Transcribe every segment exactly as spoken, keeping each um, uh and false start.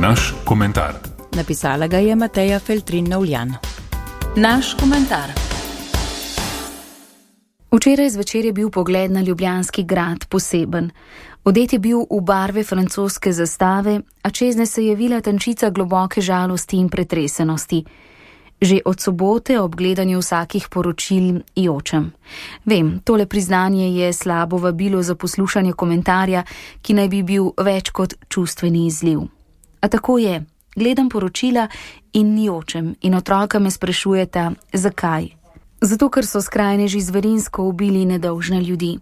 Naš komentar. Napisala ga je Mateja Feltrin-Novljan. Naš komentar. Včeraj zvečer je bil pogled na Ljubljanski grad poseben. Odet je bil v barve francoske zastave, a čezne se je vila tančica globoke žalosti in pretresenosti. Že od sobote ob gledanju vsakih poročil jočem. Vem, tole priznanje je slabo vabilo za poslušanje komentarja, ki naj bi bil več kot čustveni izliv. A tako je, gledam poročila in jočem in otroka me sprašujeta, zakaj. Zato, ker so skrajneži zverinsko ubili nedolžne ljudi.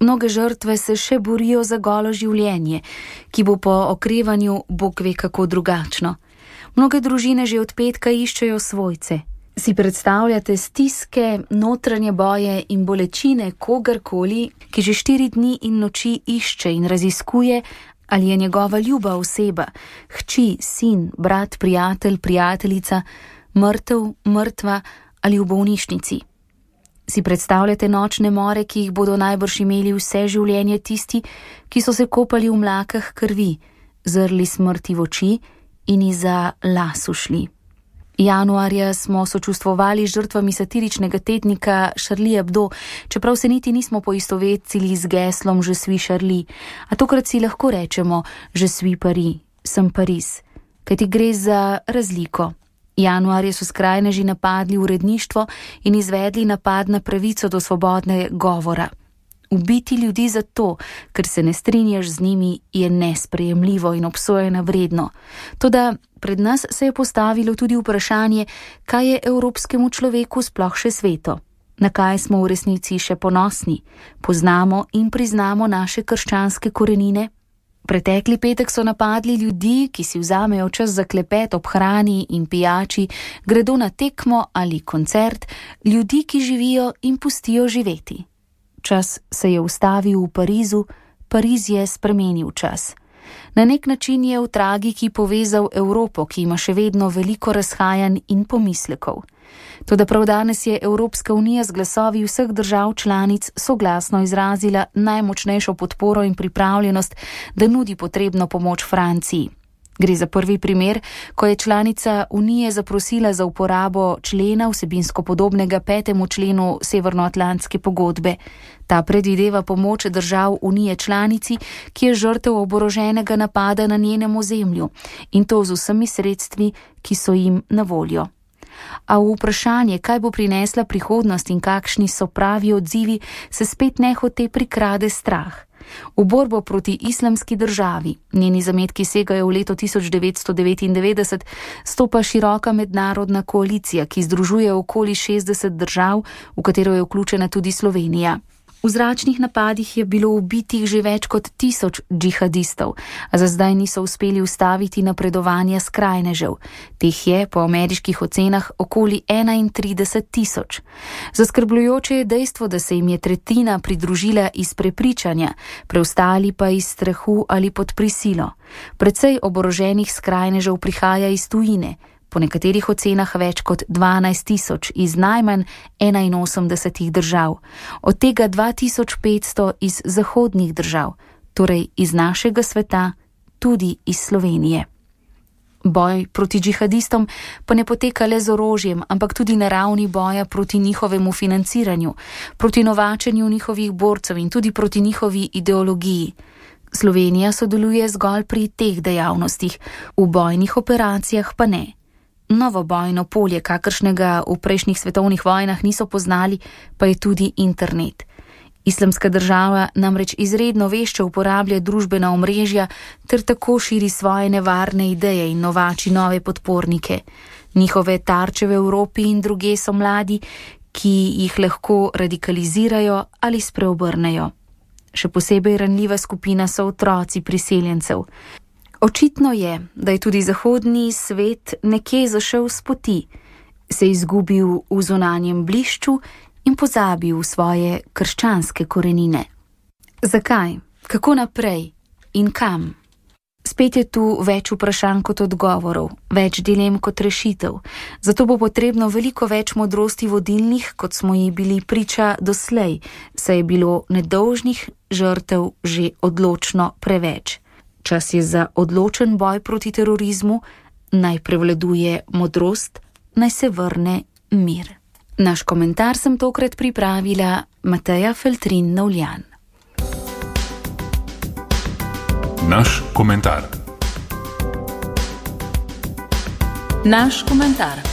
Mnoge žrtve se še borijo za golo življenje, ki bo po okrevanju Bog ve kako drugačno. Mnoge družine že od petka iščejo svojce. Si predstavljate stiske, notranje boje in bolečine kogarkoli, ki že štiri dni in noči išče in raziskuje, ali je njegova ljuba oseba, hči, sin, brat, prijatelj, prijateljica, mrtev, mrtva ali v bolnišnici. Si predstavljate nočne more, ki jih bodo najbrž imeli vse življenje tisti, ki so se kopali v mlakah krvi, zrli smrti v oči in iza las ušli. Januarja smo sočustvovali z žrtvami satiričnega tednika Charlie Hebdo, čeprav se niti nismo poistovetili z geslom Je suis Charlie, a tokrat si lahko rečemo Je suis Paris, sem Pariz, kajti gre za razliko. Januarja so skrajneži napadli uredništvo in izvedli napad na pravico do svobodne govora. Ubiti ljudi zato, ker se ne strinjaš z njimi, je nesprejemljivo in obsojena vredno. Toda pred nas se je postavilo tudi vprašanje, kaj je evropskemu človeku sploh še sveto. Na kaj smo v resnici še ponosni? Poznamo in priznamo naše krščanske korenine? Pretekli petek so napadli ljudi, ki si vzamejo čas za klepet ob hrani in pijači, gredo na tekmo ali koncert, ljudi, ki živijo in pustijo živeti. Čas se je ustavil v Parizu, Pariz je spremenil čas. Na nek način je v tragiki povezal Evropo, ki ima še vedno veliko razhajanj in pomislekov. Toda prav danes je Evropska unija z glasovi vseh držav članic soglasno izrazila najmočnejšo podporo in pripravljenost, da nudi potrebno pomoč Franciji. Gre za prvi primer, ko je članica Unije zaprosila za uporabo člena vsebinsko podobnega petemu členu Severnoatlantske pogodbe. Ta predvideva pomoč držav Unije članici, ki je žrtev oboroženega napada na njenem ozemlju, in to z vsemi sredstvi, ki so jim na voljo. A v vprašanje, kaj bo prinesla prihodnost in kakšni so pravi odzivi, se spet nehote prikrade strah. V borbo proti islamski državi, njeni zametki segajo v leto tisoč devetsto devetindevetdeset, stopa široka mednarodna koalicija, ki združuje okoli šestdeset držav, v katero je vključena tudi Slovenija. V zračnih napadih je bilo ubitih že več kot tisoč džihadistov, a za zdaj niso uspeli ustaviti napredovanja skrajnežev. Teh je po ameriških ocenah okoli enaintrideset tisoč. Zaskrbljujoče je dejstvo, da se jim je tretjina pridružila iz prepričanja, preostali pa iz strahu ali pod prisilo. Precej oboroženih skrajnežev prihaja iz tujine, po nekaterih ocenah več kot dvanajst tisoč iz najmanj enainosemdesetih držav, od tega dva tisoč petsto iz zahodnih držav, torej iz našega sveta, tudi iz Slovenije. Boj proti džihadistom pa ne poteka le z orožjem, ampak tudi na ravni boja proti njihovemu financiranju, proti novačenju njihovih borcev in tudi proti njihovi ideologiji. Slovenija sodeluje zgolj pri teh dejavnostih, v bojnih operacijah pa ne. Novo bojno polje, kakršnega v prejšnjih svetovnih vojnah niso poznali, pa je tudi internet. Islamska država namreč izredno vešče uporablja družbena omrežja ter tako širi svoje nevarne ideje in novači nove podpornike. Njihove tarče v Evropi in druge so mladi, ki jih lahko radikalizirajo ali spreobrnejo. Še posebej ranljiva skupina so otroci priseljencev. Očitno je, da je tudi zahodni svet nekje zašel s poti, se izgubil v zunanjem blišču in pozabil svoje krščanske korenine. Zakaj? Kako naprej? In kam? Spet je tu več vprašanj kot odgovorov, več dilem kot rešitev. Zato bo potrebno veliko več modrosti vodilnih, kot smo ji bili priča doslej, saj je bilo nedolžnih žrtev že odločno preveč. Čas je za odločen boj proti terorizmu, naj prevladuje modrost, naj se vrne mir. Naš komentar sem tokrat pripravila Mateja Feltrin-Novljan. Naš komentar. Naš komentar.